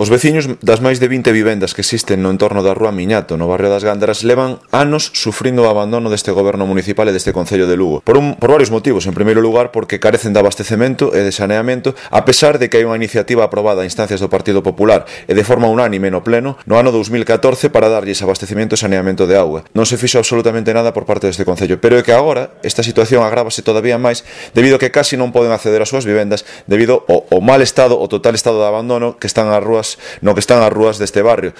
Os veciños das máis de 20 vivendas que existen no entorno da Rúa Miñato, no barrio das Gándaras, levan anos sufrindo o abandono deste goberno municipal e deste Concello de Lugo. Por varios motivos. En primeiro lugar, porque carecen de abastecemento e de saneamento, a pesar de que hai unha iniciativa aprobada a instancias do Partido Popular e de forma unánime no Pleno no ano 2014 para darlles abastecemento e saneamento de auga. Non se fixo absolutamente nada por parte deste Concello, pero é que agora esta situación agrávase todavía máis debido a que casi non poden acceder ás súas vivendas debido ao mal estado, o total estado de abandono que están as rúas deste barrio,